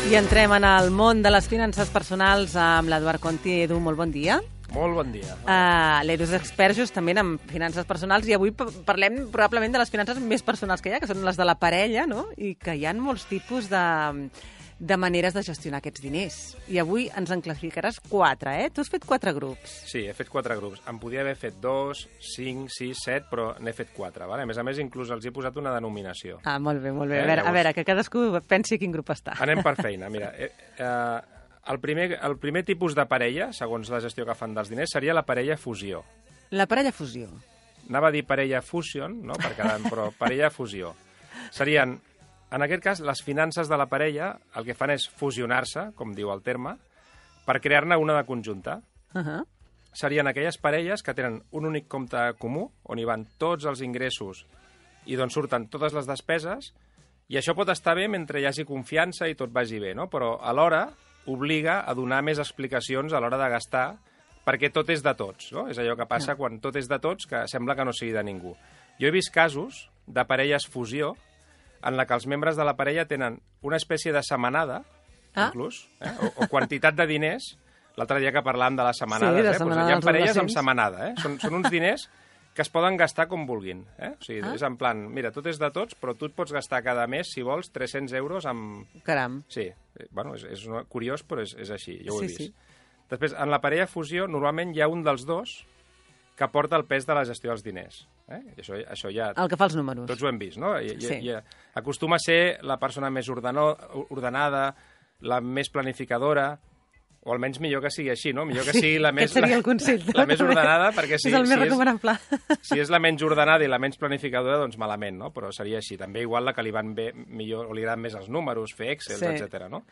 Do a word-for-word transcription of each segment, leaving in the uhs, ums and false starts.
I entrem en el món de les finances personals amb l'Eduard Conti. Edu, molt bon dia. Molt bon dia. Uh, L'Edu és expert justament en finances personals i avui parlem probablement de les finances més personals que hi ha, que són les de la parella, no? I que hi ha molts tipus de, de maneres de gestionar aquests diners. I avui ens en classificaràs quatre, eh? Tu has fet quatre grups. Sí, he fet quatre grups. En podia haver fet dos, cinc, sis, set, però n'he fet quatre. Vale? A més a més, inclús els he posat una denominació. Ah, molt bé, molt bé. Eh? A, veure, Llavors... a veure, que cadascú pensi quin grup està. Anem per feina. Mira, eh, eh, el, primer, el primer tipus de parella, segons la gestió que fan dels diners, seria la parella fusió. La parella fusió. Anava a dir parella fusion, no? Per cada, però parella fusió. Serien... En aquest cas, les finances de la parella el que fan és fusionar-se, com diu el terme, per crear-ne una de conjunta. Uh -huh. Serien aquelles parelles que tenen un únic compte comú, on hi van tots els ingressos i d'on surten totes les despeses, i això pot estar bé mentre hi hagi confiança i tot vagi bé, no? Però alhora obliga a donar més explicacions a l'hora de gastar, perquè tot és de tots, no? És allò que passa no. quan tot és de tots, que sembla que no sigui de ningú. Jo he vist casos de parelles fusió en la que els membres de la parella tenen una espècie de setmanada, ah. inclús, eh? o, o quantitat de diners. L'altre dia que parlàvem de les setmanades, sí, de eh? setmanada Pues hi ha parelles amb adolescents. setmanada. Eh? Són, són uns diners que es poden gastar com vulguin. Eh? O sigui, ah. és en plan, mira, tot és de tots, però tu et pots gastar cada mes, si vols, tres-cents euros amb... Caram. Sí, bueno, és, és curiós, però és, és així, jo ho he sí, vist. Sí. Després, en la parella fusió, normalment hi ha un dels dos que porta el pes de la gestió dels diners. Eh? I això, això ja... El que fa els números. Tots ho hem vist, no? I, sí. i, i acostuma a ser la persona més ordeno, ordenada, la més planificadora, o almenys millor que sigui així, no? Millor que sigui la més, Aquest seria el consell. la, la més ordenada, perquè si, és el més si, recomanable. és, si és la menys ordenada i la menys planificadora, doncs malament, no? Però seria així. També igual la que li van bé millor, o li agraden més els números, fer Excel, sí. etcètera, no?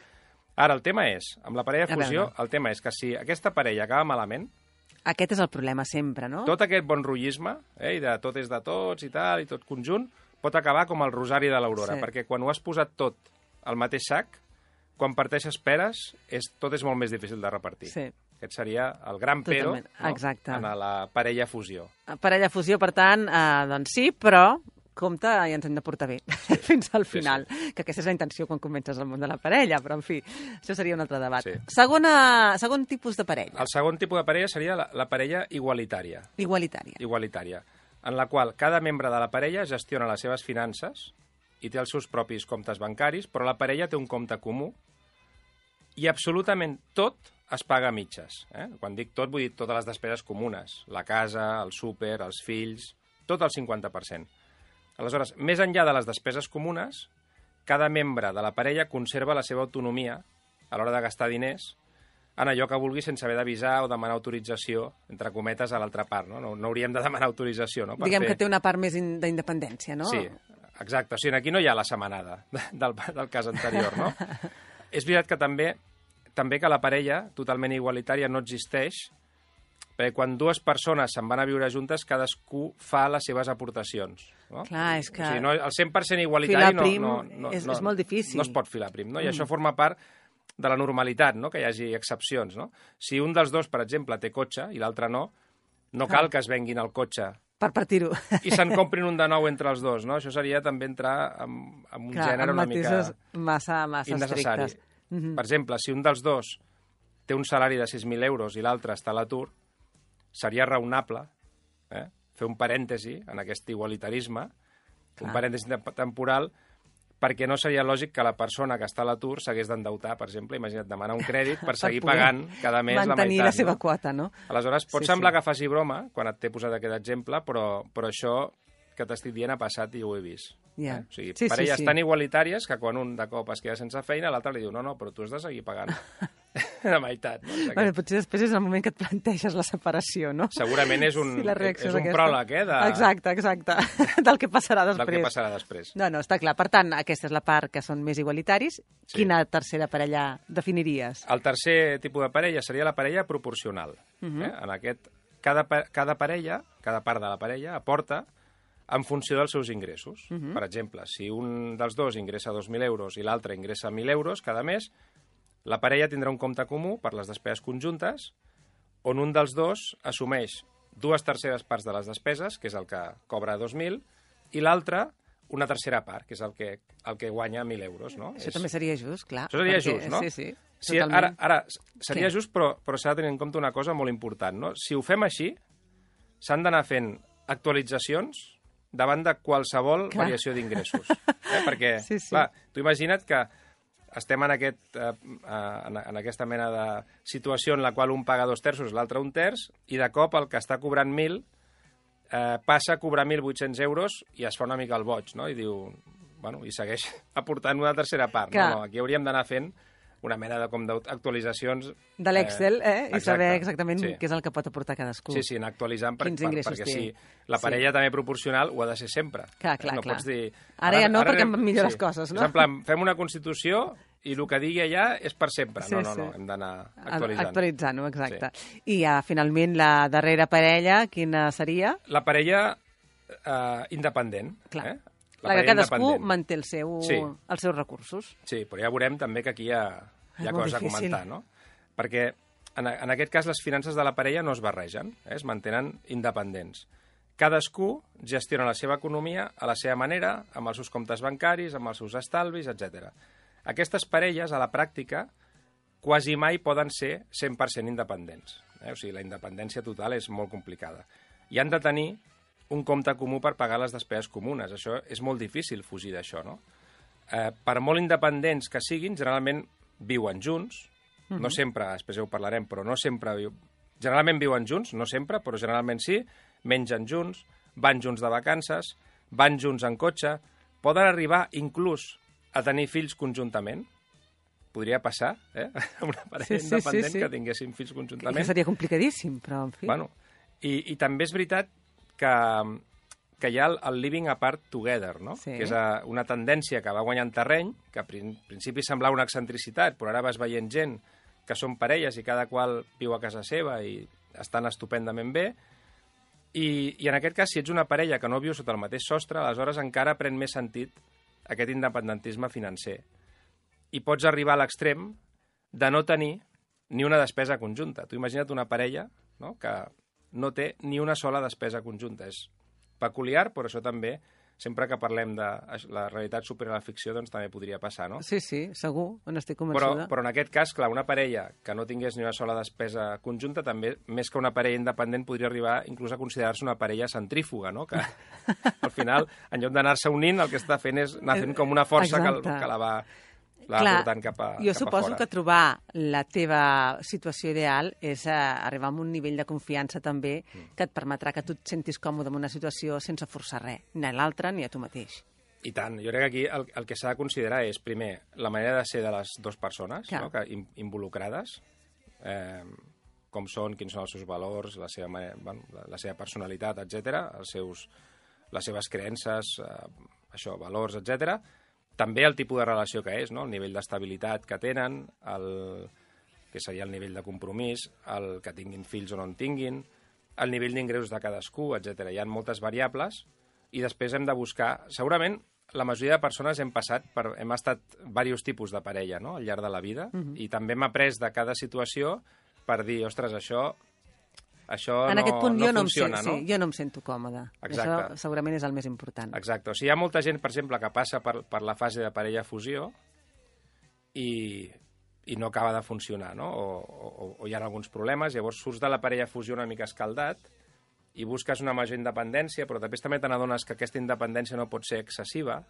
Ara, el tema és, amb la parella fusió, el tema és que si aquesta parella acaba malament, aquest és el problema sempre, no? tot aquest bon rotllisme, eh, i de tot és de tots i tal, i tot conjunt, pot acabar com el rosari de l'Aurora, sí. perquè quan ho has posat tot al mateix sac, quan parteixes peres, és, tot és molt més difícil de repartir. Sí. Aquest seria el gran pero, no? Exacte. En la parella fusió. Parella fusió, per tant, eh, doncs sí, però compte i ens hem de portar bé sí. fins al final, sí, sí. que aquesta és la intenció quan comences el món de la parella, però en fi, això seria un altre debat. Sí. Segona, segon tipus de parella. El segon tipus de parella seria la, la parella igualitària. Igualitària. Igualitària, en la qual cada membre de la parella gestiona les seves finances i té els seus propis comptes bancaris, però la parella té un compte comú i absolutament tot es paga a mitges. Eh? Quan dic tot, vull dir totes les despeses comunes, la casa, el súper, els fills, tot el cinquanta per cent. Aleshores, més enllà de les despeses comunes, cada membre de la parella conserva la seva autonomia a l'hora de gastar diners en allò que vulgui sense haver d'avisar o demanar autorització, entre cometes, a l'altra part. No, no, no hauríem de demanar autorització. No? Per Diguem fer... que té una part més d'independència, no? Sí, exacte. O sigui, aquí no hi ha la setmanada del, del cas anterior, no? És veritat que també, també que la parella totalment igualitària no existeix, perquè quan dues persones se'n van a viure juntes, cadascú fa les seves aportacions. No? Clar, és que... O sigui, no, el cent per cent igualitari prim no, no, no, és, no, és molt difícil. No es pot filar prim, no? I mm. això forma part de la normalitat, no? Que hi hagi excepcions. No? Si un dels dos, per exemple, té cotxe i l'altre no, no cal ah. que es venguin el cotxe per partir-ho. I se'n comprin un de nou entre els dos. No? Això seria també entrar en, en un Clar, gènere una mica massa, massa innecessari. Mm -hmm. Per exemple, si un dels dos té un salari de sis mil euros i l'altre està a l'atur, seria raonable eh, fer un parèntesi en aquest igualitarisme, Clar. un parèntesi temporal, perquè no seria lògic que la persona que està a l'atur s'hagués d'endeutar, per exemple, imagina't, demanar un crèdit per seguir per pagant cada mes la meitat. Mantenir la seva no? quota, no? Aleshores, pot sí, semblar sí. que faci broma, quan et t'he posat aquest exemple, però, però això que t'estic dient ha passat i ho he vist. Yeah. Eh? O sigui, sí, parelles sí, sí. tan igualitàries que quan un de cop es queda sense feina, l'altre li diu, no, no, però tu has de seguir pagant la meitat. No? Bueno, potser després és el moment que et planteges la separació, no? Segurament és un, sí, és un pròleg, eh? De... Exacte, exacte, del que passarà després. Del que passarà després. No, no, està clar. Per tant, aquesta és la part que són més igualitaris. Sí. Quina tercera parella definiries? El tercer tipus de parella seria la parella proporcional. Uh -huh. eh? En aquest, cada, cada parella, cada part de la parella aporta en funció dels seus ingressos. Uh -huh. Per exemple, si un dels dos ingressa dos mil euros i l'altre ingressa mil euros cada mes, la parella tindrà un compte comú per les despeses conjuntes, on un dels dos assumeix dues terceres parts de les despeses, que és el que cobra dos mil, i l'altre una tercera part, que és el que, el que guanya mil euros, no? Això és... també seria just, clar. Això seria perquè... just, no? Sí, sí, sí ara, ara, seria Què? just, però, però s'ha de tenir en compte una cosa molt important, no? Si ho fem així, s'han d'anar fent actualitzacions davant de qualsevol clar. variació d'ingressos. Eh? Perquè, sí, sí. clar, tu imagina't que estem en, aquest, eh, en, en aquesta mena de situació en la qual un paga dos terços, l'altre un terç, i de cop el que està cobrant mil eh, passa a cobrar mil vuit-cents euros i es fa una mica el boig, no? I diu, bueno, i segueix aportant una tercera part. No, no, aquí hauríem d'anar fent una mena de, com d'actualitzacions... De l'Excel, eh? eh? I saber exactament sí. què és el que pot aportar cadascú. Sí, sí, anar actualitzant per, per, perquè sí, la parella sí. també proporcional ho ha de ser sempre. Clar, clar, no clar. Pots dir... Ara, ara ja no, ara, perquè han millor sí. les coses, no? És en plan, fem una Constitució i el que digui allà és per sempre. Sí, no, no, no, hem d'anar actualitzant. Actualitzant-ho, exacte. Sí. I ja, finalment, la darrera parella, quina seria? La parella eh, independent. Clar. Eh? La, la que cadascú manté el seu, sí. els seus recursos. Sí, però ja veurem també que aquí hi ha, hi ha coses difícil. a comentar, no? Perquè en, en aquest cas les finances de la parella no es barregen, eh? Es mantenen independents. Cadascú gestiona la seva economia a la seva manera, amb els seus comptes bancaris, amb els seus estalvis, etcètera. Aquestes parelles, a la pràctica, quasi mai poden ser cent per cent independents. Eh? O sigui, la independència total és molt complicada. I han de tenir un compte comú per pagar les despeses comunes. Això és molt difícil fugir d'això, no? Eh, per molt independents que siguin, generalment viuen junts, uh-huh. no sempre, després ja ho parlarem, però no sempre... Viu... Generalment viuen junts, no sempre, però generalment sí, mengen junts, van junts de vacances, van junts en cotxe, poden arribar inclús a tenir fills conjuntament. Podria passar, eh? Una parella sí, sí, independent sí, sí. que tinguessin fills conjuntament. Que seria complicadíssim, però en fi... Bueno, i, i també és veritat que, que hi ha el, el living apart together, no? Sí. Que és a, una tendència que va guanyant terreny, que a principi semblava una excentricitat, però ara vas veient gent que són parelles i cada qual viu a casa seva i estan estupendament bé. I, i en aquest cas, si ets una parella que no viu sota el mateix sostre, aleshores encara pren més sentit aquest independentisme financer. I pots arribar a l'extrem de no tenir ni una despesa conjunta. Tu imagina't una parella, no?, que no té ni una sola despesa conjunta. És peculiar, però això també, sempre que parlem de la realitat supera la ficció, doncs també podria passar, no? Sí, sí, segur, n'estic convençuda. Però, però en aquest cas, clar, una parella que no tingués ni una sola despesa conjunta, també, més que una parella independent, podria arribar inclús a considerar-se una parella centrífuga, no? Que al final, en lloc d'anar-se unint, el que està fent és anar fent com una força que, que la va... Clar, portant cap a, jo cap suposo a fora. que trobar la teva situació ideal és uh, arribar a un nivell de confiança també mm. que et permetrà que tu et sentis còmode en una situació sense forçar res, ni a l'altre ni a tu mateix. I tant. Jo crec que aquí el, el que s'ha de considerar és, primer, la manera de ser de les dues persones, no? Que, in, involucrades, eh, com són, quins són els seus valors, la seva, manera, bueno, la, la seva personalitat, etcètera, els seus, les seves creences, eh, això, valors, etcètera. També el tipus de relació que és, no? El nivell d'estabilitat que tenen, el, que seria el nivell de compromís, el que tinguin fills o no en tinguin, el nivell d'ingressos de cadascú, etcètera. Hi ha moltes variables i després hem de buscar... Segurament la majoria de persones hem passat per... hem estat diversos tipus de parella, no?, al llarg de la vida, uh-huh. i també hem après de cada situació per dir, ostres, això... Això en no, aquest punt no jo funciona, no em, no? Sí, jo no em sento còmoda. Exacte. Això segurament és el més important. Exacte. O sigui, hi ha molta gent, per exemple, que passa per, per la fase de parella fusió i, i no acaba de funcionar, no? O, o, o hi ha alguns problemes, llavors surts de la parella fusió una mica escaldat i busques una major independència, però després també te n'adones que aquesta independència no pot ser excessiva.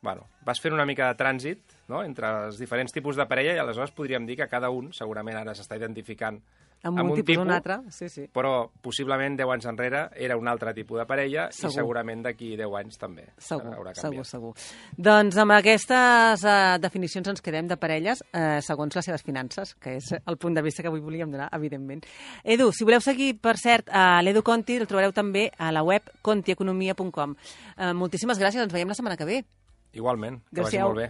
Bueno, vas fent una mica de trànsit, no?, entre els diferents tipus de parella i aleshores podríem dir que cada un segurament ara s'està identificant amb un, un tipus, tipus un altre, sí, sí. Però possiblement deu anys enrere era un altre tipus de parella segur. I segurament d'aquí deu anys també segur, haurà canviat. Segur, segur. Doncs amb aquestes uh, definicions ens quedem de parelles uh, segons les seves finances, que és el punt de vista que avui volíem donar, evidentment. Edu, si voleu seguir, per cert, a l'Edu Conti, el trobareu també a la web conti economia punt com. Uh, moltíssimes gràcies, ens veiem la setmana que ve. Igualment, que vagi molt bé.